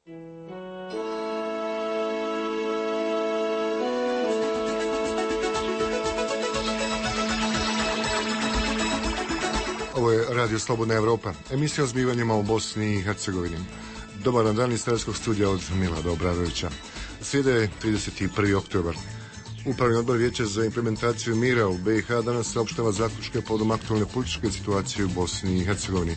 Ovo je Radio Slobodna Evropa, emisija o zbivanjima u Bosni i Hercegovini. Dobar dan iz Starskog studija od Milada Obradovića. Srijeda je 31. oktobar. Upravni odbor Vijeća za implementaciju mira u BiH danas saopštava zaključke povodom aktualne političke situacije u Bosni i Hercegovini.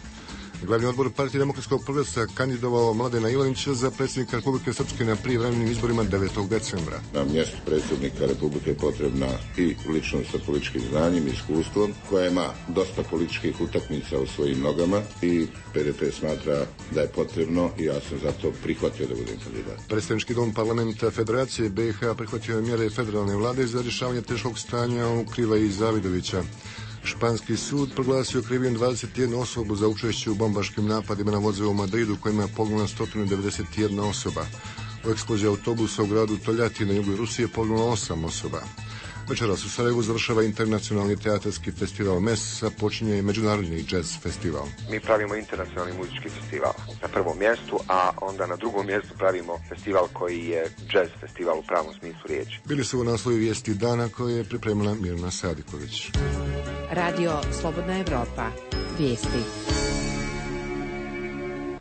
Glavni odbor Partije demokratskog progresa kandidovao Mladena Ivanića za predsjednika Republike Srpske na prijevremenim izborima 9. decembra. Na mjestu predsjednika Republike je potrebna i ličnost sa političkim znanjem i iskustvom, koja ima dosta političkih utakmica u svojim nogama i PDP smatra da je potrebno i ja sam zato prihvatio da budem kandidat. Predstavnički dom parlamenta Federacije BiH prihvatio je mjere federalne vlade za rješavanje teškog stanja u Krivaji i Zavidovića. Španski sud proglasio krivim 21 osobu za učešće u bombaškim napadima na vozove u Madridu kojima je poginula 191 osoba. U eksploziji autobusa u gradu Toljati na jugu Rusije poginulo 8 osoba. Večeras u Sarajevu završava internacionalni teatarski festival MES, a počinje i međunarodni jazz festival. Mi pravimo internacionalni muzički festival na prvom mjestu, a onda na drugom mjestu pravimo festival koji je jazz festival u pravom smislu riječi. Bili su u naslovi vijesti dana koje je pripremila Mirna Sadiković. Radio Slobodna Evropa. Vijesti.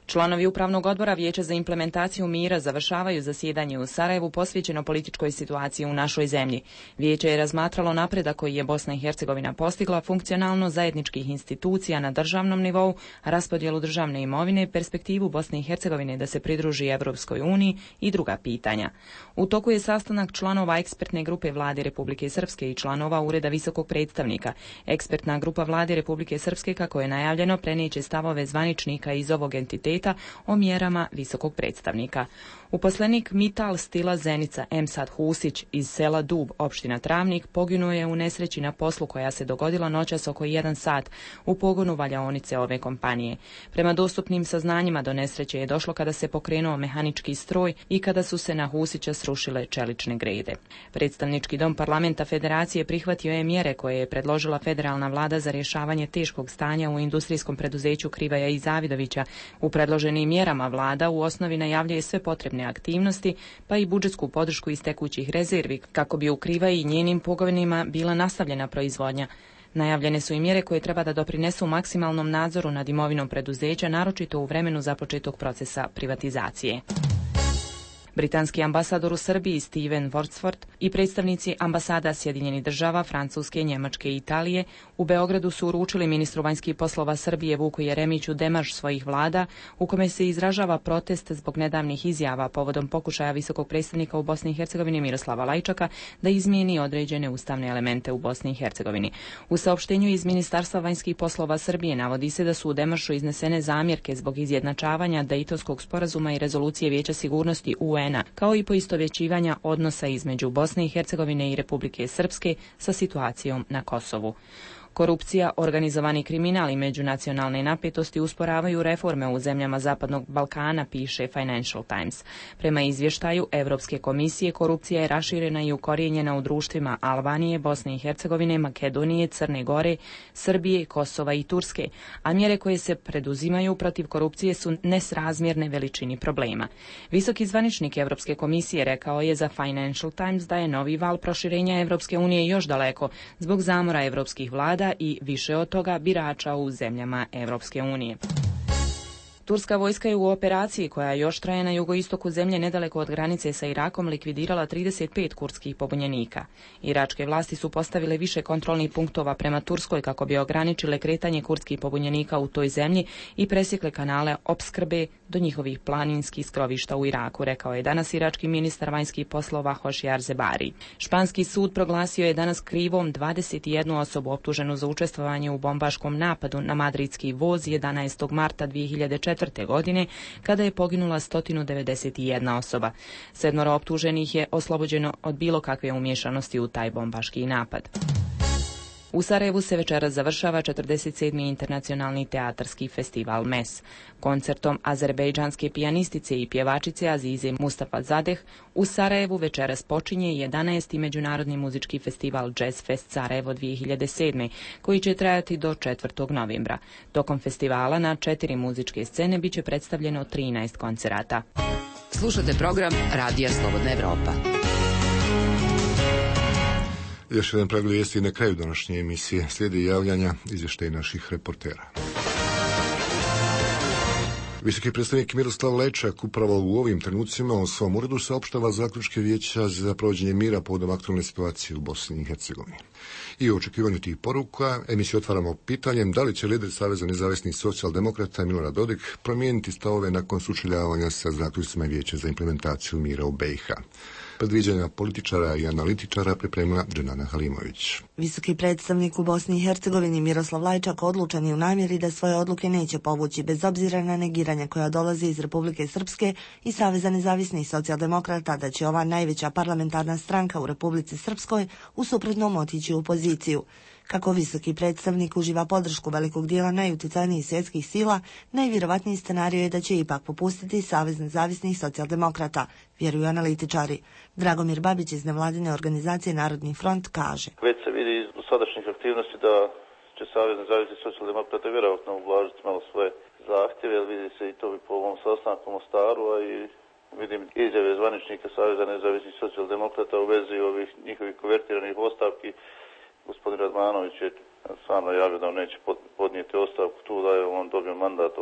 Članovi Upravnog odbora Vijeća za implementaciju mira završavaju zasjedanje u Sarajevu posvećeno političkoj situaciji u našoj zemlji. Vijeće je razmatralo napredak koji je Bosna i Hercegovina postigla, funkcionalno zajedničkih institucija na državnom nivou, raspodjelu državne imovine, perspektivu Bosne i Hercegovine da se pridruži Evropskoj uniji i druga pitanja. U toku je sastanak članova ekspertne grupe Vlade Republike Srpske i članova Ureda visokog predstavnika. Ekspertna grupa Vlade Republike Srpske, kako je najavljeno, prenijeće stavove zvaničnika iz ovog entiteta o mjerama visokog predstavnika. Uposlenik Mital Stila Zenica Emsad Husić iz sela Dub, opština Travnik, poginuo je u nesreći na poslu koja se dogodila noćas oko 1 sat u pogonu valjaonice ove kompanije. Prema dostupnim saznanjima do nesreće je došlo kada se pokrenuo mehanički stroj i kada su se na Husića srušile čelične grede. Predstavnički dom parlamenta Federacije prihvatio je mjere koje je predložila federalna vlada za rješavanje teškog stanja u industrijskom preduzeću Krivaja i Zavidovića. U predloženim mjerama vlada u osnovi najavljuje sve potrebne aktivnosti, pa i budžetsku podršku iz tekućih rezervi, kako bi u Krivaji i njenim pogonima bila nastavljena proizvodnja. Najavljene su i mjere koje treba da doprinesu maksimalnom nadzoru nad imovinom preduzeća, naročito u vremenu započetog procesa privatizacije. Britanski ambasador u Srbiji Steven Wordsworth i predstavnici ambasada Sjedinjenih država, Francuske, Njemačke i Italije u Beogradu su uručili ministru vanjskih poslova Srbije Vuku Jeremiću demarš svojih vlada u kome se izražava protest zbog nedavnih izjava povodom pokušaja visokog predstavnika u Bosni i Hercegovini Miroslava Lajčaka da izmijeni određene ustavne elemente u Bosni i Hercegovini. U saopštenju iz Ministarstva vanjskih poslova Srbije navodi se da su u demaršu iznesene zamjerke zbog izjednačavanja Dejtonskog sporazuma i rezolucije Vijeća sigurnosti UN, kao i poistovjećivanja odnosa između Bosne i Hercegovine i Republike Srpske sa situacijom na Kosovu. Korupcija, organizovani kriminal i međunacionalne napetosti usporavaju reforme u zemljama Zapadnog Balkana, piše Financial Times. Prema izvještaju Europske komisije, korupcija je raširena i ukorijenjena u društvima Albanije, Bosne i Hercegovine, Makedonije, Crne Gore, Srbije, Kosova i Turske, a mjere koje se preduzimaju protiv korupcije su nesrazmjerne veličini problema. Visoki zvaničnik Europske komisije rekao je za Financial Times da je novi val proširenja Europske unije još daleko zbog zamora europskih vlada i više od toga birača u zemljama Europske unije. Turska vojska je u operaciji koja još traje na jugoistoku zemlje nedaleko od granice sa Irakom likvidirala 35 kurdskih pobunjenika. Iračke vlasti su postavile više kontrolnih punktova prema Turskoj kako bi ograničile kretanje kurdskih pobunjenika u toj zemlji i presjekle kanale opskrbe do njihovih planinskih skrovišta u Iraku, rekao je danas irački ministar vanjskih poslova Hošijar Zebari. Španski sud proglasio je danas krivom 21 osobu optuženu za učestvovanje u bombaškom napadu na madridski voz 11. marta 2004. godine, kada je poginula 191 osoba. 7 optuženih je oslobođeno od bilo kakve umješanosti u taj bombaški napad. U Sarajevu se večeras završava 47. internacionalni teatarski festival MES. Koncertom azerbejdžanske pijanistice i pjevačice Azize Mustafa Zadeh u Sarajevu večeras počinje 11. međunarodni muzički festival Jazz Fest Sarajevo 2007. koji će trajati do 4. novembra. Tokom festivala na 4 muzičke scene biće predstavljeno 13 koncerata. Slušate program Radija Slobodna Evropa. Još jedan pregled vijesti na kraju današnje emisije. Slijedi javljanja izvještaja naših reportera. Visoki predstavnik Miroslav Lajčak upravo u ovim trenucima u svom uredu saopštava zaključke Vijeća za provođenje mira povodom aktualne situacije u Bosni i Hercegovini. I u očekivanju tih poruka emisiju otvaramo pitanjem da li će lider Saveza nezavisnih socijaldemokrata Milorad Dodik promijeniti stavove nakon sučeljavanja sa zaključcima Vijeća za implementaciju mira u BiH. Predviđanja političara i analitičara pripremila Dženana Halimović. Visoki predstavnik u Bosni i Hercegovini Miroslav Lajčak odlučan je u namjeri da svoje odluke neće povući bez obzira na negiranja koja dolazi iz Republike Srpske i Saveza nezavisnih socijaldemokrata da će ova najveća parlamentarna stranka u Republici Srpskoj u suprotnom otići u opoziciju. Kako visoki predstavnik uživa podršku velikog dijela najuticajnijih svjetskih sila, najvjerovatniji scenarij je da će ipak popustiti Savez nezavisnih socijaldemokrata, vjeruju analitičari. Dragomir Babić iz nevladine organizacije Narodni front kaže: Već se vidi iz sadašnjih aktivnosti da će Savez nezavisnih socijaldemokrata vjerojatno ublažiti malo svoje zahtjeve, jer vidi se i to bi po ovom sastanku u Mostaru, a i vidim izjave zvaničnika Saveza nezavisnih socijaldemokrata u vezi ovih njihovih konvertiranih ostavki. Gospodin Radmanović je sam najavio da on neće podnijeti ostavku tu, da je on dobio mandat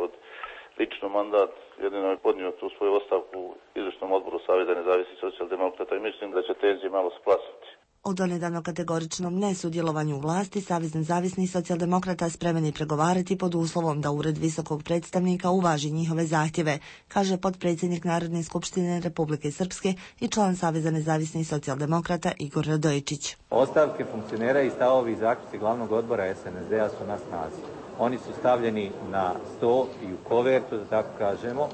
lično mandat, jedino je podnio tu svoju ostavku u izvršnom odboru Saveza nezavisnih socijaldemokrata i mislim da će tenzije malo splasiti. O donedavno kategoričnom nesudjelovanju u vlasti Savez nezavisnih socijaldemokrata spreman je pregovarati pod uslovom da Ured visokog predstavnika uvaži njihove zahtjeve, kaže potpredsjednik Narodne skupštine Republike Srpske i član Saveza nezavisnih socijaldemokrata Igor Radojičić. Ostavke funkcionera i stavovi i zaključci glavnog odbora SNSD-a su na snazi. Oni su stavljeni na sto i u kovertu, da tako kažemo,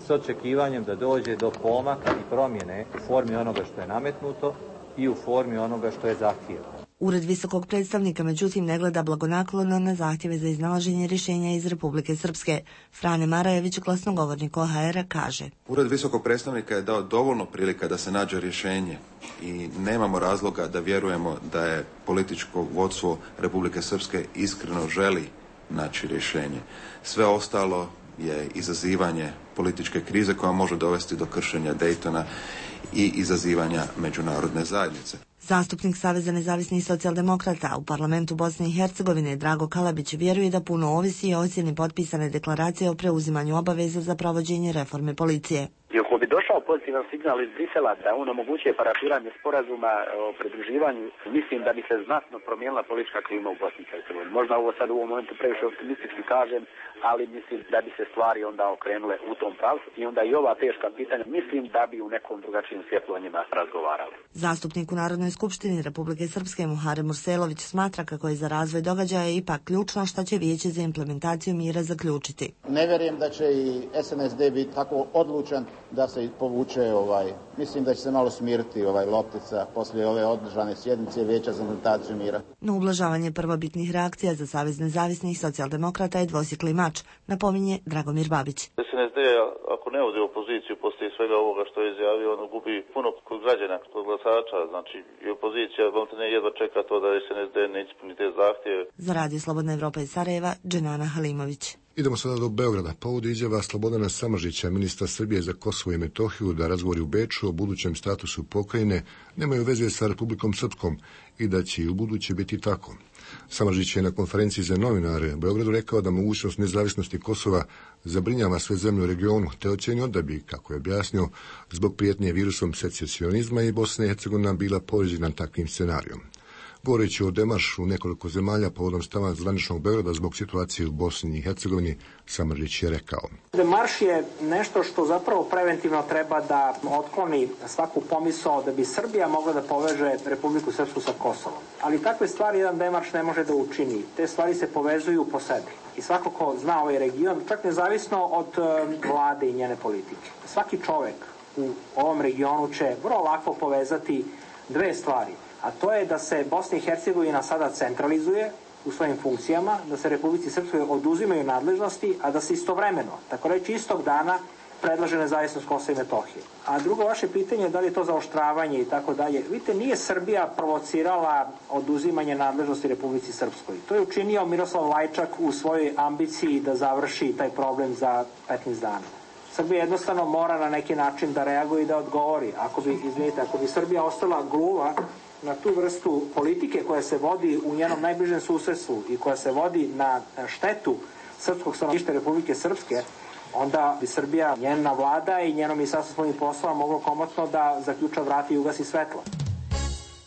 s očekivanjem da dođe do pomaka i promjene u formi onoga što je nametnuto i u formi onoga što je zahtjevno. Ured visokog predstavnika međutim ne gleda blagonaklono na zahtjeve za iznalaženje rješenja iz Republike Srpske. Frane Marajević, glasnogovornik OHR-a, kaže: Ured visokog predstavnika je dao dovoljno prilika da se nađe rješenje i nemamo razloga da vjerujemo da je političko vodstvo Republike Srpske iskreno želi naći rješenje. Sve ostalo je izazivanje političke krize koja može dovesti do kršenja Daytona i izazivanja međunarodne zajednice. Zastupnik Saveza nezavisnih socijaldemokrata u parlamentu Bosne i Hercegovine Drago Kalabić vjeruje da puno ovisi o ocjeni potpisane deklaracije o preuzimanju obaveza za provođenje reforme policije. I ako bi došao pozitivan signal iz Brisela da on omogućuje parafiranje sporazuma o pridruživanju, mislim da bi se znatno promijenila politička klima u Bosni i Hercegovini. Možda ovo sad u ovom momentu previše optimistički kažem, ali mislim da bi se stvari onda okrenule u tom pravcu i onda i ova teška pitanja mislim da bi u nekom drugačijem svjetlu o njima razgovarali. Zastupnik u Narodnoj skupštini Republike Srpske Muharem Murselović smatra kako je za razvoj događaja ipak ključno što će Vijeće za implementaciju mira zaključiti. Ne vjerujem da će i SNSD biti tako odlučan da se povuče mislim da će se malo smiriti loptica poslije ove održane sjednice Vijeća za implementaciju mira. No ublažavanje prvobitnih reakcija za Savez nezavisnih socijaldemokrata je dvosjekli mač, napominje Dragomir Babić. SNSD ako ne ode u opoziciju poslije svega ovoga što je izjavio, on gubi puno kod građana, kod glasača, znači i opozicija ne jedva čeka to da SNSD ne ispuni te zahtjeve. Za Radio Slobodna Evropa iz Sarajeva, Dženana Halimović. Idemo sada do Beograda. Povod izjava Slobodana Samardžića, ministra Srbije za Kosovo i Metohiju, da razgovori u Beču o budućem statusu pokrajine nemaju veze sa Republikom Srpskom i da će i u buduće biti tako. Samardžić je na konferenciji za novinare u Beogradu rekao da mogućnost nezavisnosti Kosova zabrinjava sve zemlje u regionu, te ocjenio da bi, kako je objasnio, zbog prijetnje virusom secesionizma i Bosna i Hercegovina bila povezana takvim scenarijom. Govoreći o demaršu nekoliko zemalja povodom stava zvaničnog Beograda zbog situacije u Bosni i Hercegovini, Samardžić je rekao: Demarš je nešto što zapravo preventivno treba da otkloni svaku pomisao da bi Srbija mogla da poveže Republiku Srpsku sa Kosovom. Ali takve stvari jedan demarš ne može da učini. Te stvari se povezuju po sebi. I svako ko zna ovaj region, čak nezavisno od vlade i njene politike. Svaki čovek u ovom regionu će vrlo lako povezati dve stvari. A to je da se Bosna i Hercegovina sada centralizuje u svojim funkcijama, da se Republici Srpskoj oduzimaju nadležnosti, a da se istovremeno, tako reći istog dana, predlaže nezavisnost Kosova i Metohije. A drugo vaše pitanje je da li je to zaoštravanje i tako dalje. Vidite, nije Srbija provocirala oduzimanje nadležnosti Republici Srpskoj. To je učinio Miroslav Lajčak u svojoj ambiciji da završi taj problem za 15 dana. Srbija jednostavno mora na neki način da reaguje i da odgovori. Ako bi Srbija ostala gluva na tu vrstu politike koja se vodi u njenom najbližem susedstvu i koja se vodi na štetu srpskog stanovništva Republike Srpske, onda bi Srbija, njena vlada i njeno ministarstvo spoljnih poslova moglo komotno da zaključa vrata i ugasi svetlo.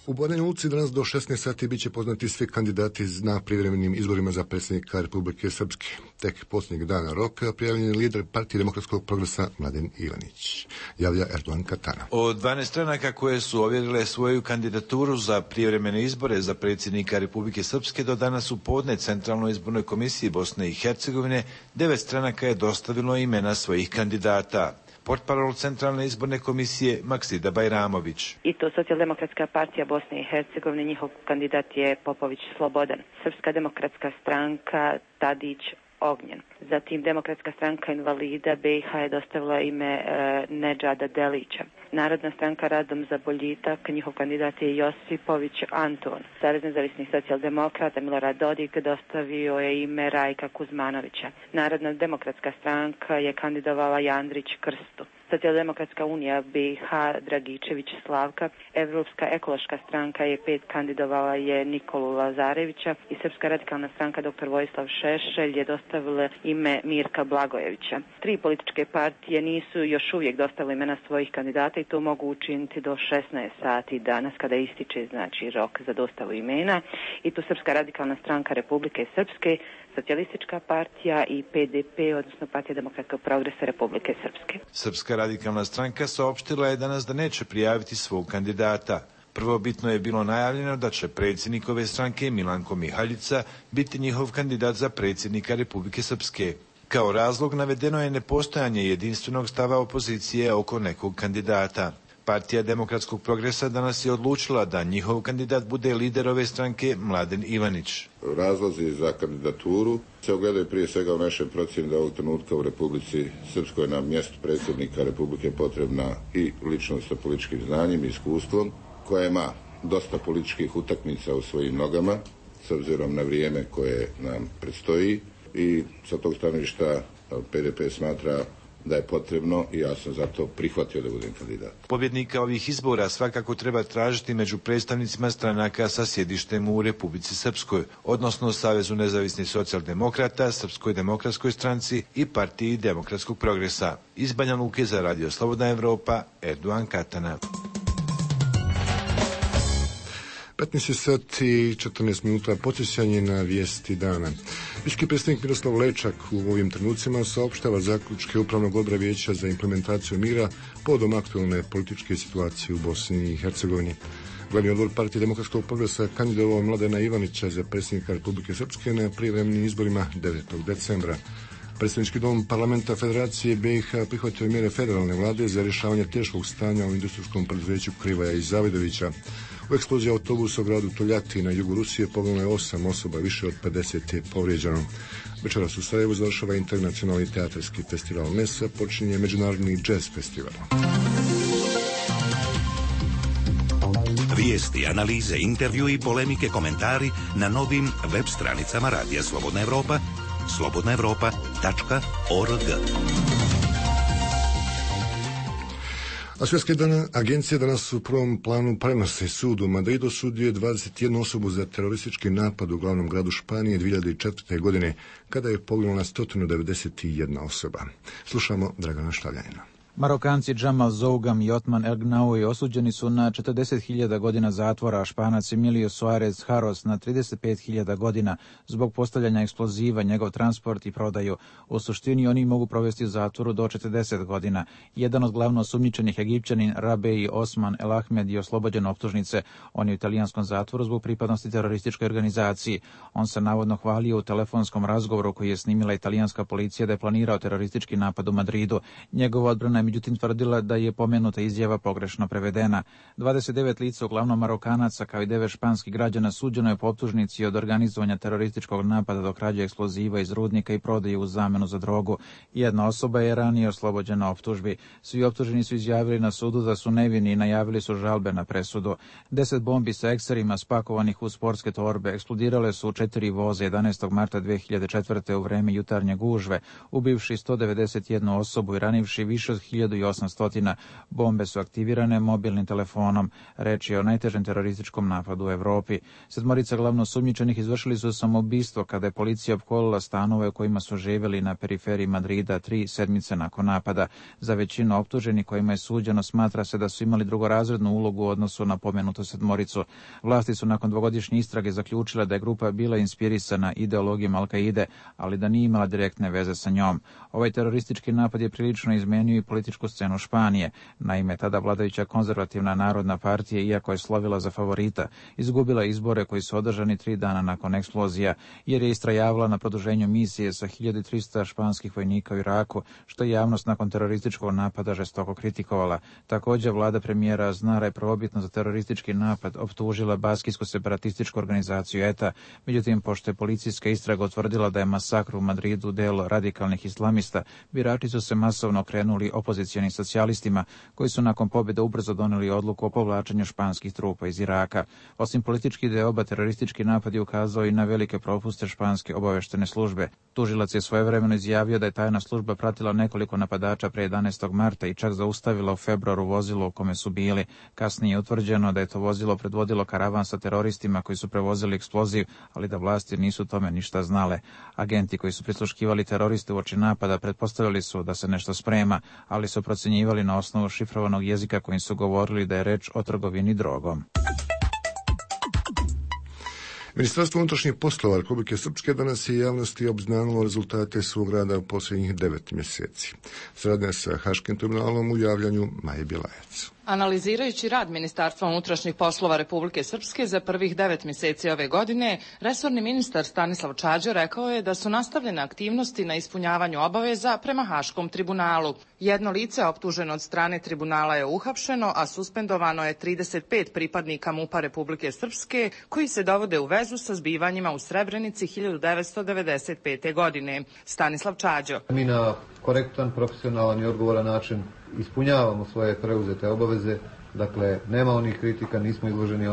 U Banja Luci danas do 16 sati bit će poznati svi kandidati na privremenim izborima za predsjednika Republike Srpske. Tek posljednjeg dana roka prijavljen je lider Partije demokratskog progresa Mladen Ivanić, javlja Erdogan Katana. Od 12 stranaka koje su ovjerile svoju kandidaturu za privremene izbore za predsjednika Republike Srpske do danas u podne Centralnoj izbornoj komisiji Bosne i Hercegovine 9 stranaka je dostavilo imena svojih kandidata. Portparol Centralne izborne komisije Maksida Bajramović. I to Socijaldemokratska partija Bosne i Hercegovine, njihov kandidat je Popović Slobodan. Srpska demokratska stranka Tadić Ognjen. Zatim Demokratska stranka invalida BiH je dostavila ime Nedžada Delića. Narodna stranka Radom za boljitak, njihov kandidat je Josipović Anton. Savez nezavisnih socijaldemokrata Milorad Dodik dostavio je ime Rajka Kuzmanovića. Narodna demokratska stranka je kandidovala Jandrić Krstu. Socijaldemokratska unija BiH Dragičević Slavka, Evropska ekološka stranka je 5 kandidovala je Nikolu Lazarevića i Srpska radikalna stranka dr. Vojislav Šešelj je dostavila ime Mirka Blagojevića. 3 političke partije nisu još uvijek dostavile imena svojih kandidata i to mogu učiniti do 16 sati danas kada ističe rok za dostavu imena. I tu Srpska radikalna stranka Republike Srpske, Socijalistička partija i PDP, odnosno Partija demokratskog progresa Republike Srpske. Srpska radikalna stranka saopštila je danas da neće prijaviti svog kandidata. Prvobitno je bilo najavljeno da će predsjednik ove stranke Milanko Mihaljica biti njihov kandidat za predsjednika Republike Srpske. Kao razlog navedeno je nepostojanje jedinstvenog stava opozicije oko nekog kandidata. Partija demokratskog progresa danas je odlučila da njihov kandidat bude lider ove stranke Mladen Ivanić. Razlozi za kandidaturu se ogledaju prije svega u našoj procjeni da ovog trenutka u Republici Srpskoj na mjestu predsjednika Republike potrebna i ličnost sa političkim znanjem i iskustvom, koja ima dosta političkih utakmica u svojim nogama, s obzirom na vrijeme koje nam predstoji, i sa tog stanovišta PDP smatra da je potrebno i ja sam zato prihvatio da budem kandidat. Pobjednika ovih izbora svakako treba tražiti među predstavnicima stranaka sa sjedištem u Republici Srpskoj, odnosno Savezu nezavisnih socijaldemokrata, Srpskoj demokratskoj stranci i Partiji demokratskog progresa. Iz Banja Luke za Radio Slobodna Evropa, Erdogan Katana. 15 sati 14 minuta podsjećanje na vijesti dana. Viški predsjednik Miroslav Lečak u ovim trenucima saopštava zaključke Upravnog odbora Vijeća za implementaciju mira povodom aktualne političke situacije u Bosni i Hercegovini. Glavni odbor Partije demokratskog progresa kandidovao Mladena Ivanića za predsjednika Republike Srpske na prijevremenim izborima 9. decembra. Predsjednički dom parlamenta Federacije BiH prihvatio je mjere federalne vlade za rješavanje teškog stanja u industrijskom preduzeću Krivaja i Zavidovića. U eksploziji autobusa u gradu Toljati na jugu Rusije poginulo je 8 osoba, više od 50 je povrijeđeno. Večeras u Sarajevu završava internacionalni teatarski festival Mesa, počinje međunarodni jazz festival. Vijesti, analize, intervju i polemike, komentari na novim web stranicama Radija Slobodna Evropa, slobodnaevropa.org. A svjetske agencije danas u prvom planu prenose sud u Madridu osudio 21 osobu za teroristički napad u glavnom gradu Španije 2004. godine, kada je poginulo na 191 osoba. Slušamo Dragana Štavljanina. Marokanci Džamal Zougam i Otman El Gnaoui osuđeni su na 40.000 godina zatvora, a Španac Emilio Suarez Haros na 35.000 godina zbog postavljanja eksploziva, njegov transport i prodaju. U suštini oni mogu provesti u zatvoru do 40 godina. Jedan od glavno osumnjičenih Egipćanin Rabei Osman El Ahmed je oslobođen optužnice. On je u italijanskom zatvoru zbog pripadnosti terorističkoj organizaciji. On se navodno hvalio u telefonskom razgovoru koji je snimila italijanska policija da je planirao teroristički napad u Madridu. Njegova odbrana je međutim tvrdila da je pomenuta izjava pogrešno prevedena. 29 lica, uglavnom Marokanaca, kao i 9 španskih građana, suđeno je po optužnici od organizovanja terorističkog napada do krađe eksploziva iz rudnika i prodaje u zamenu za drogu. Jedna osoba je ranije oslobođena optužbi. Svi optuženi su izjavili na sudu da su nevini i najavili su žalbe na presudu. 10 bombi sa ekserima spakovanih u sportske torbe eksplodirale su u 4 voza 11. marta 2004. u vreme jutarnje gužve, ubivši 191 osobu i ranivši više od 1800. Bombe su aktivirane mobilnim telefonom. Reč je o najtežem terorističkom napadu u Evropi. 7 glavno sumnjičenih izvršili su samoubistvo kada je policija opkolila stanove u kojima su živjeli na periferiji Madrida 3 sedmice nakon napada. Za većinu optuženih kojima je suđeno smatra se da su imali drugorazrednu ulogu u odnosu na pomenutu 7. Vlasti su nakon 2-godišnje istrage zaključile da je grupa bila inspirisana ideologijom Al-Kaide, ali da nije imala direktne veze sa njom. Ovaj teroristički napad je prilično izmenio i političku scenu Španije. Naime, tada vladajuća konzervativna narodna partija, iako je slovila za favorita, izgubila izbore koji su održani 3 dana nakon eksplozija, jer je istrajavala na produženju misije sa 1300 španskih vojnika u Iraku, što je javnost nakon terorističkog napada žestoko kritikovala. Također, vlada premijera Aznara je prvobitno za teroristički napad optužila baskijsku separatističku organizaciju ETA, međutim, pošto je policijska istraga utvrdila da je masakr u Madridu delo radikalnih islamista, birači su se masovno okrenuli opozicionim socijalistima, koji su nakon pobjede ubrzo doneli odluku o povlačenju španskih trupa iz Iraka. Osim političkih ideoba, teroristički napad je ukazao i na velike propuste španske obaveštene službe. Tužilac je svojevremeno izjavio da je tajna služba pratila nekoliko napadača pre 11. marta i čak zaustavila u februaru vozilo u kome su bili. Kasnije je utvrđeno da je to vozilo predvodilo karavan sa teroristima koji su prevozili eksploziv, ali da vlasti nisu tome ništa znale. Agenti koji su prisluškivali teroriste uoči napada pretpostavljali su da se nešto sprema, ali su procjenjivali na osnovu šifrovanog jezika kojim su govorili da je reč o trgovini drogom. Ministarstvo unutrašnjih poslova Republike Srpske danas je javnosti obznanilo rezultate svog rada u posljednjih 9 mjeseci. Saradnja sa Haškim tribunalom u javljanju Maje Bilajac. Analizirajući rad Ministarstva unutrašnjih poslova Republike Srpske za prvih 9 mjeseci ove godine, resorni ministar Stanislav Čađa rekao je da su nastavljene aktivnosti na ispunjavanju obaveza prema Haškom tribunalu. Jedno lice optuženo od strane tribunala je uhapšeno, a suspendovano je 35 pripadnika MUP-a Republike Srpske koji se dovode u vezu sa zbivanjima u Srebrenici 1995. godine. Stanislav Čađo. Mi na korektan, profesionalan i odgovoran način ispunjavamo svoje preuzete obaveze, dakle nema onih kritika, nismo izloženi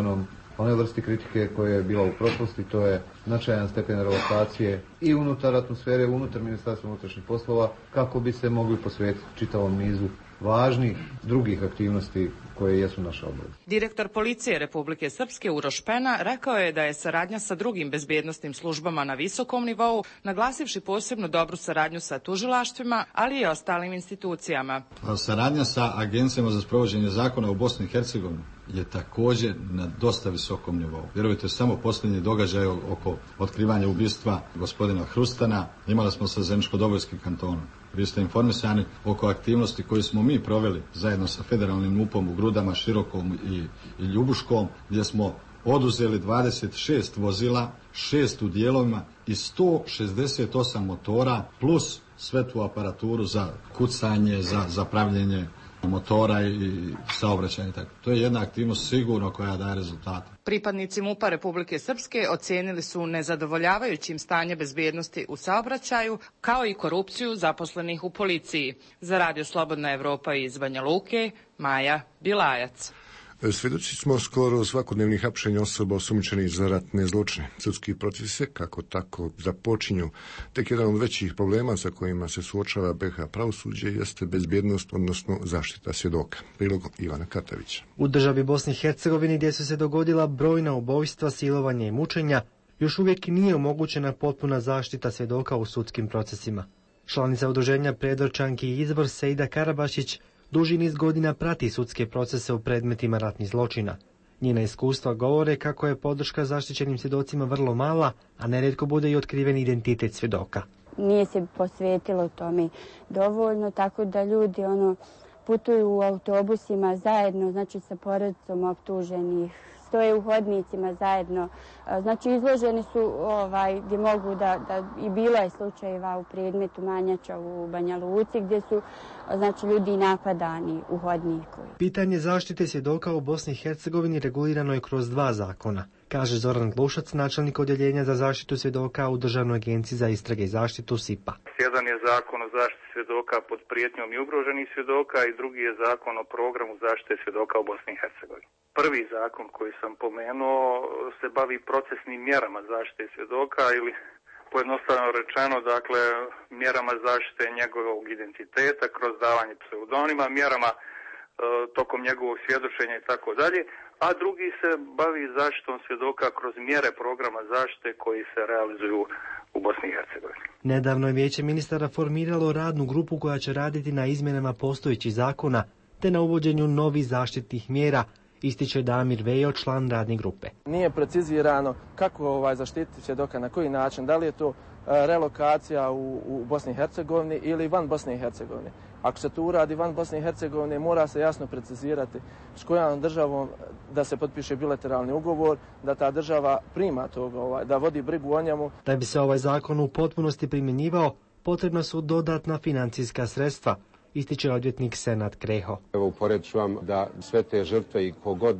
onoj vrsti kritike koja je bila u prošlosti, to je značajan stepen relokacije i unutar atmosfere, unutar Ministarstva unutrašnjih poslova, kako bi se mogli posvetiti čitavom nizu važnih drugih aktivnosti koje jesu naša obaveza. Direktor policije Republike Srpske Uroš Pena rekao je da je saradnja sa drugim bezbjednosnim službama na visokom nivou, naglasivši posebno dobru saradnju sa tužilaštvima, ali i ostalim institucijama. Saradnja sa agencijama za sprovođenje zakona u Bosni i Hercegovini je također na dosta visokom nivou. Vjerujte, samo posljednji događaj oko otkrivanja ubistva gospodina Hrustana imali smo sa Zeničko-Dobojskim kantonom. Vi ste informisani oko aktivnosti koje smo mi proveli zajedno sa federalnim MUP-om u Grudama, Širokom i Ljubuškom, gdje smo oduzeli 26 vozila, 6 u dijelovima i 168 motora plus sve tu aparaturu za kucanje, za pravljenje motora i saobraćanja. To je jedna aktivnost sigurno koja daje rezultate. Pripadnici MUP-a Republike Srpske ocijenili su nezadovoljavajućim stanje bezbjednosti u saobraćaju, kao i korupciju zaposlenih u policiji. Za Radio Slobodna Evropa iz Banja Luke, Maja Bilajac. Svjedoci smo skoro svakodnevnih hapšenja osoba osumnjičenih za ratne zločine. Sudski procesi se kako tako započinju. Tek jedan od većih problema sa kojima se suočava BiH pravosuđe jeste bezbjednost, odnosno zaštita svjedoka. Prilog Ivana Katavića. U državi Bosni i Hercegovini, gdje su se dogodila brojna ubojstva, silovanja i mučenja, još uvijek nije omogućena potpuna zaštita svjedoka u sudskim procesima. Članica udruženja Predorčanki i Izbor Sejda Karabašić duži niz godina prati sudske procese u predmetima ratnih zločina. Njena iskustva govore kako je podrška zaštićenim svjedocima vrlo mala, a nerijetko bude i otkriven identitet svjedoka. Nije se posvetilo tome dovoljno, tako da ljudi putuju u autobusima zajedno, znači sa porodicom optuženih, stoje u hodnicima zajedno. Znači izloženi su gdje mogu da i bilo je slučajeva u predmetu Manjača u Banja Luci gdje su znači ljudi napadani u hodniku. Pitanje zaštite svjedoka u Bosni i Hercegovini regulirano je kroz 2 zakona, kaže Zoran Glušac, načelnik odjeljenja za zaštitu svjedoka u Državnoj agenciji za istrage i zaštitu SIP-a. Jedan je zakon o zaštiti svjedoka pod prijetnjom i ugroženih svjedoka i drugi je zakon o programu zaštite svjedoka u Bosni i Hercegovini. Prvi zakon koji sam pomenuo se bavi procesnim mjerama zaštite svjedoka ili pojednostavno rečeno, dakle, mjerama zaštite njegovog identiteta kroz davanje pseudonima, mjerama tokom njegovog svjedočenja i tako dalje, a drugi se bavi zaštitom svjedoka kroz mjere programa zaštite koji se realizuju u Bosni i Hercegovini. Nedavno je Vijeće ministara formiralo radnu grupu koja će raditi na izmjenama postojećih zakona te na uvođenju novih zaštitnih mjera, ističe Damir Vejo, član radne grupe. Nije precizirano kako zaštititi svjedoka, na koji način, da li je to relokacija u Bosni i Hercegovini ili van Bosne i Hercegovine. Ako se to uradi van Bosne i Hercegovine, mora se jasno precizirati s kojom državom da se potpiše bilateralni ugovor, da ta država prima toga, da vodi brigu o njemu. Da bi se ovaj zakon u potpunosti primjenjivao, potrebna su dodatna financijska sredstva, ističe odvjetnik Senad Kreho. Evo uporedit ću vam da sve te žrtve i kogod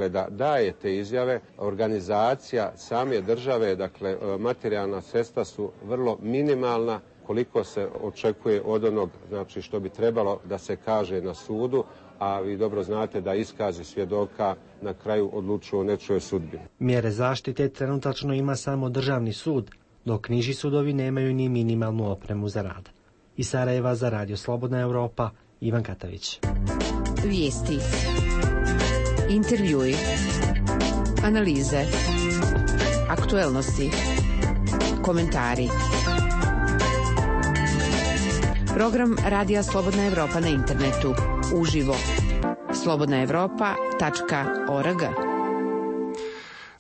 da daje te izjave, organizacija same države, dakle materijalna sredstva su vrlo minimalna koliko se očekuje od onog, znači što bi trebalo da se kaže na sudu, a vi dobro znate da iskazi svjedoka na kraju odlučuju o nečijoj sudbini. Mjere zaštite trenutačno ima samo Državni sud, dok niži sudovi nemaju ni minimalnu opremu za rad. Iz Sarajeva za Radio Slobodna Europa, Ivan Katavić. Vijesti, intervjui, analize, aktuelnosti, komentari. Program Radija Slobodna Evropa na internetu, uživo. slobodnaevropa.org.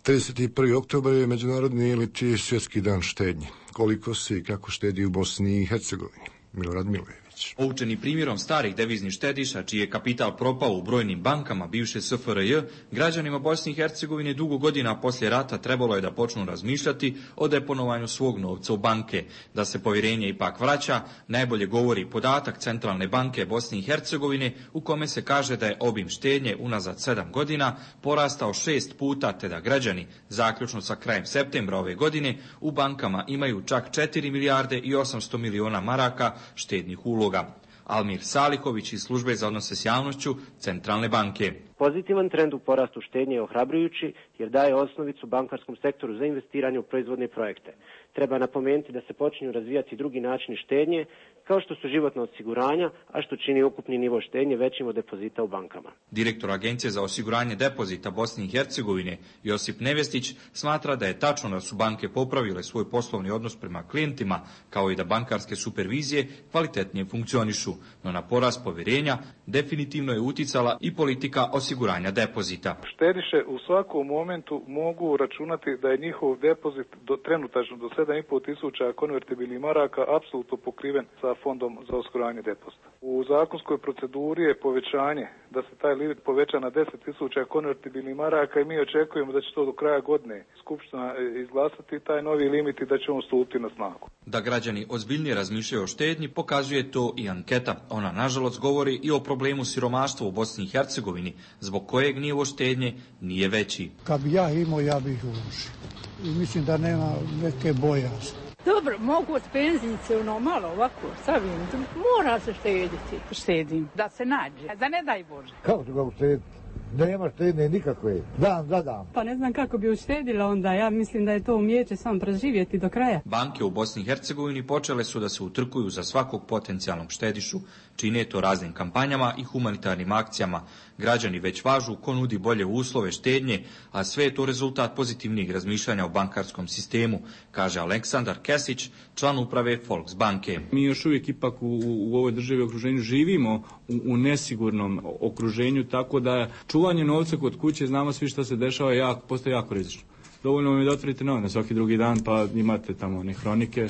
31. oktobar je međunarodni ili svjetski dan štednje. Koliko se i kako štedi u Bosni i Hercegovini? Milorad Milojević. Poučeni primjerom starih deviznih štediša, čiji je kapital propao u brojnim bankama bivše SFRJ, građanima Bosne i Hercegovine dugo godina poslije rata trebalo je da počnu razmišljati o deponovanju svog novca u banke. Da se povjerenje ipak vraća, najbolje govori podatak Centralne banke Bosne i Hercegovine, u kome se kaže da je obim štednje unazad 7 godina porastao 6 puta, te da građani, zaključno sa krajem septembra ove godine, u bankama imaju čak 4 milijarde i 800 miliona maraka štednih uloga. Almir Saliković iz Službe za odnose s javnošću Centralne banke. Pozitivan trend u porastu štednje je ohrabrujući jer daje osnovicu bankarskom sektoru za investiranje u proizvodne projekte. Treba napomenuti da se počinju razvijati drugi načini štednje, kao što su životna osiguranja, a što čini ukupni nivo štednje većim od depozita u bankama. Direktor Agencije za osiguranje depozita Bosne i Hercegovine, Josip Nevestić, smatra da je tačno da su banke popravile svoj poslovni odnos prema klijentima, kao i da bankarske supervizije kvalitetnije funkcionišu, no na porast povjerenja definitivno je uticala i politika osiguranja depozita. Štediše u svakom momentu mogu računati da je njihov depozit trenutačno do 7,5 tisuća konvertibilnih maraka apsolutno pokriven sa fondom za osiguranje depozita. U zakonskoj proceduri je povećanje da se taj limit poveća na 10 tisuća konvertibilnih maraka i mi očekujemo da će to do kraja godine Skupština izglasati taj novi limit i da će on stupiti na snagu. Da građani ozbiljnije razmišljaju o štednji pokazuje to i anketa. Ona nažalost govori i o problemu siromaštva u Bosni i Hercegovini, zbog kojeg nivo štednje nije veći. Kad bi ja imao, ja bih uložio. I mislim da nema neke bojazni. Dobro, mogu od penzinice, malo ovako, savim, mora se štediti. Štedim, da se nađe, da ne daj Bože. Kako ću ga uštediti? Nema štedne nikakve, dan za dan. Pa ne znam kako bi uštedila onda, ja mislim da je to umijeće samo preživjeti do kraja. Banke u Bosni i Hercegovini počele su da se utrkuju za svakog potencijalnog štedišu, čine to raznim kampanjama i humanitarnim akcijama. Građani već važu ko nudi bolje uslove štednje, a sve je to rezultat pozitivnih razmišljanja o bankarskom sistemu, kaže Aleksandar Kesić, član uprave Volksbanke. Mi još uvijek ipak u ovoj državi okruženju živimo u nesigurnom okruženju, tako da čuvanje novca kod kuće, znamo svi što se dešava, postaje jako rizično. Dovoljno vam je da otvorite novine svaki drugi dan, pa imate tamo one hronike,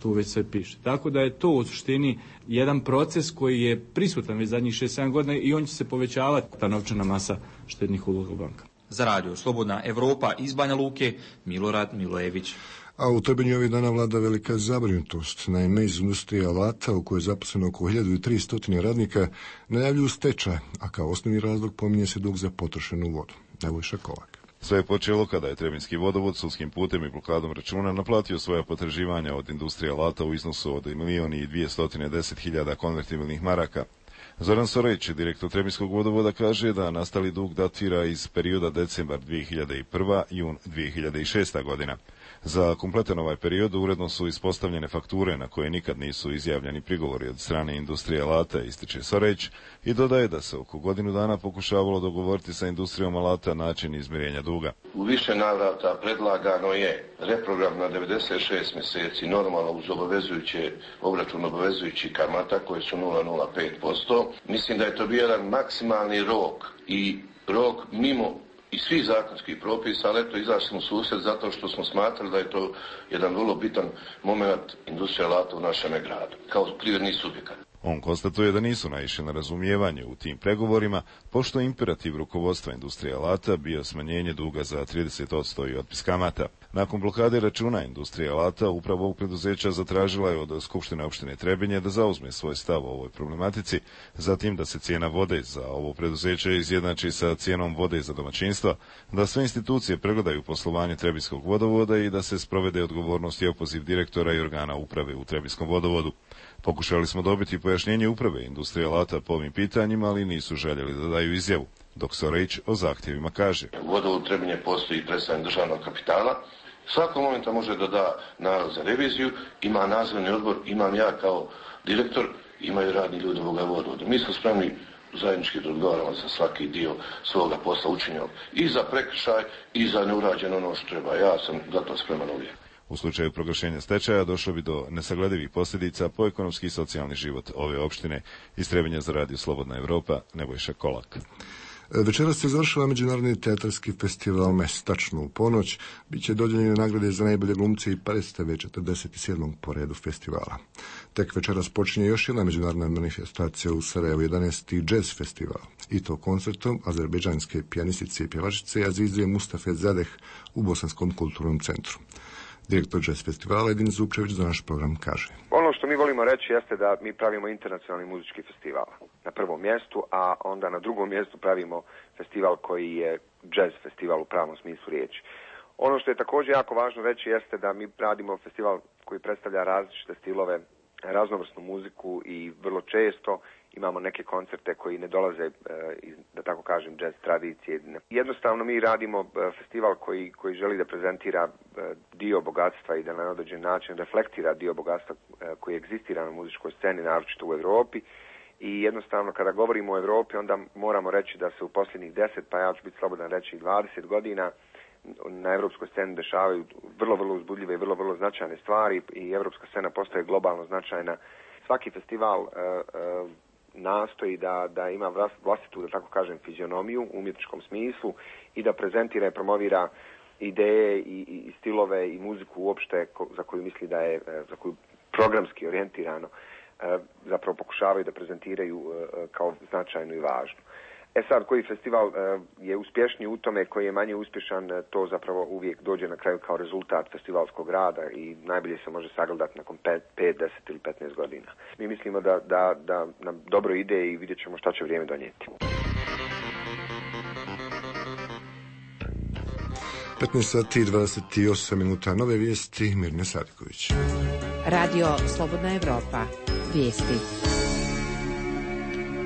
tu već sve piše. Tako da je to u suštini jedan proces koji je prisutan već zadnjih 6-7 godina i on će se povećavati, ta novčana masa štednih uloga u bankama. Za radio Slobodna Evropa iz Banja Luke, Milorad Milojević. A u Trebinju ovih dana vlada velika zabrinutost. Naime, iz industrije alata, u kojoj je zaposleno oko 1300 radnika, najavljuju stečaj, a kao osnovni razlog pominje se dug za potrošenu vodu. Nebojša Kolak. Sve je počelo kada je Trebinjski vodovod sudskim putem i blokadom računa naplatio svoja potraživanja od industrije alata u iznosu od 1.210.000 konvertibilnih maraka. Zoran Sorejć, direktor Trebinjskog vodovoda, kaže da nastali dug datira iz perioda decembar 2001. jun 2006. godina. Za kompletan ovaj period uredno su ispostavljene fakture na koje nikad nisu izjavljeni prigovori od strane industrije alata, ističe Sorejć, i dodaje da se oko godinu dana pokušavalo dogovoriti sa industrijom alata način izmirenja duga. U više navrata predlagano je reprogram na 96 mjeseci, normalno uz obračun obavezujući kamata koje su 0,05%. Mislim da je to bio jedan maksimalni rok i rok mimo i svih zakonskih propisa, ali eto izašli smo u susret zato što smo smatrali da je to jedan vrlo bitan moment industrije alata u našem gradu, kao privredni subjekat. On konstatuje da nisu naišli na razumijevanje u tim pregovorima, pošto je imperativ rukovodstva industrije alata bio smanjenje duga za 30% i otpis kamata. Nakon blokade računa industrije alata, upravo ovog preduzeća zatražila je od Skupštine opštine Trebinje da zauzme svoj stav o ovoj problematici, zatim da se cijena vode za ovo preduzeće izjednači sa cijenom vode za domaćinstva, da sve institucije pregledaju poslovanje Trebinjskog vodovoda i da se sprovede odgovornost i opoziv direktora i organa uprave u Trebinjskom vodovodu. Pokušali smo dobiti pojašnjenje uprave industrije alata po ovim pitanjima, ali nisu željeli da daju izjavu, dok Sorejć o zahtjevima kaže. U vodovodu Trebinje postoji predstavnik državnog kapitala. Svakog momenta može da da nalaz za reviziju, ima nadzorni odbor, imam ja kao direktor, imaju radni ljudi ovoga vodovoda. Mi smo spremni zajednički da odgovaramo za svaki dio svoga posla učinjenog i za prekršaj i za neurađeno ono što treba. Ja sam za to spreman uvijek. U slučaju proglašenja stečaja došlo bi do nesagledivih posljedica po ekonomski i socijalni život ove opštine. Iz Trebinja za radio Slobodna Evropa, Nebojša Kolak. Večeras se završava Međunarodni teatarski festival MES, tačno u ponoć. Biće dodijeljene nagrade za najbolje glumce i predstave 47. po redu festivala. Tek večeras počinje još jedna međunarodna manifestacija u Sarajevu, 11. jazz festival. I to koncertom azerbejdžanske pijanistice i pjevačice Azize Mustafe Zadeh u Bosanskom kulturnom centru. Direktor jazz festivala Edin Zupčević za naš program kaže. Ono što mi volimo reći jeste da mi pravimo internacionalni muzički festival na prvom mjestu, a onda na drugom mjestu pravimo festival koji je jazz festival u pravom smislu riječi. Ono što je također jako važno reći jeste da mi radimo festival koji predstavlja različite stilove, raznovrsnu muziku i vrlo često imamo neke koncerte koji ne dolaze iz, da tako kažem, jazz tradicije. Jednostavno mi radimo festival koji želi da prezentira dio bogatstva i da na određen način reflektira dio bogatstva koji egzistira na muzičkoj sceni, naročito u Europi. I jednostavno kada govorimo o Europi onda moramo reći da se u posljednjih 10, pa ja ću biti slobodan reći 20 godina na europskoj sceni dešavaju vrlo uzbudljive i vrlo značajne stvari i europska scena postaje globalno značajna. Svaki festival nastoji da ima vlastitu, da tako kažem, fizionomiju u umjetničkom smislu i da prezentira i promovira ideje i stilove i muziku uopšte za koju misli da je, za koju programski orijentirano zapravo pokušavaju da prezentiraju kao značajnu i važnu. Sad, koji festival je uspješniji u tome, koji je manje uspješan, to zapravo uvijek dođe na kraju kao rezultat festivalskog rada i najbolje se može sagledati nakon 5, 10 ili 15 godina. Mi mislimo da nam dobro ide i vidjet ćemo šta će vrijeme donijeti. 15 sati i 28 minuta, nove vijesti, Mirne Sadiković. Radio Slobodna Evropa, vijesti.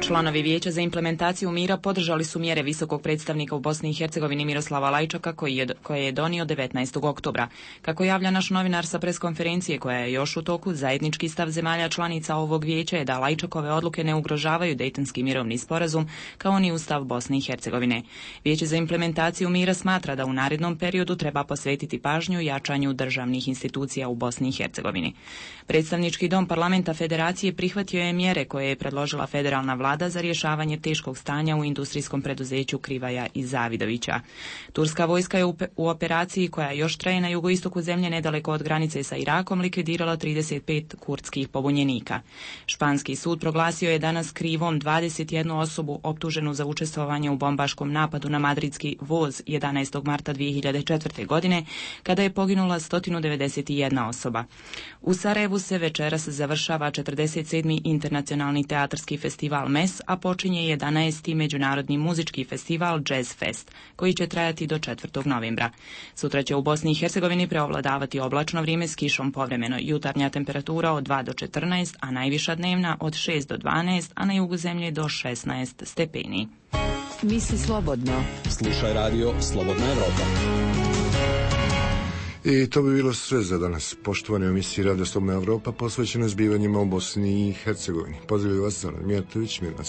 Članovi Vijeća za implementaciju mira podržali su mjere visokog predstavnika u Bosni i Hercegovini Miroslava Lajčaka koje je donio 19. oktobra. Kako javlja naš novinar sa preskonferencije koja je još u toku, zajednički stav zemalja članica ovog vijeća je da Lajčakove odluke ne ugrožavaju Dejtonski mirovni sporazum kao ni Ustav Bosne i Hercegovine. Vijeće za implementaciju mira smatra da u narednom periodu treba posvetiti pažnju jačanju državnih institucija u Bosni i Hercegovini. Predstavnički dom parlamenta Federacije prihvatio je mjere koje je predložila federalna vlada vlada za rješavanje teškog stanja u industrijskom preduzeću Krivaja i Zavidovića. Turska vojska je u operaciji koja još traje na jugoistoku zemlje nedaleko od granice sa Irakom likvidirala 35 kurdskih pobunjenika. Španski sud proglasio je danas krivom 21 osobu optuženu za učestvovanje u bombaškom napadu na madridski voz 11. marta 2004. godine, kada je poginula 191 osoba. U Sarajevu se večeras završava 47. internacionalni teatarski festival MES, a počinje 11. međunarodni muzički festival Jazz Fest, koji će trajati do 4. novembra. Sutra će u Bosni i Hercegovini preovladavati oblačno vrijeme s kišom povremeno. Jutarnja temperatura od 2 do 14, a najviša dnevna od 6 do 12, a na jugu zemlje do 16 stepeni. Misli slobodno. Slušaj radio Slobodna Evropa. I to bi bilo sve za danas. Poštovani u emisiji Radio Slobodna Evropa posvećena zbivanjima u Bosni i Hercegovini. Pozdravljaju vas Zoran Mijatović, Mirna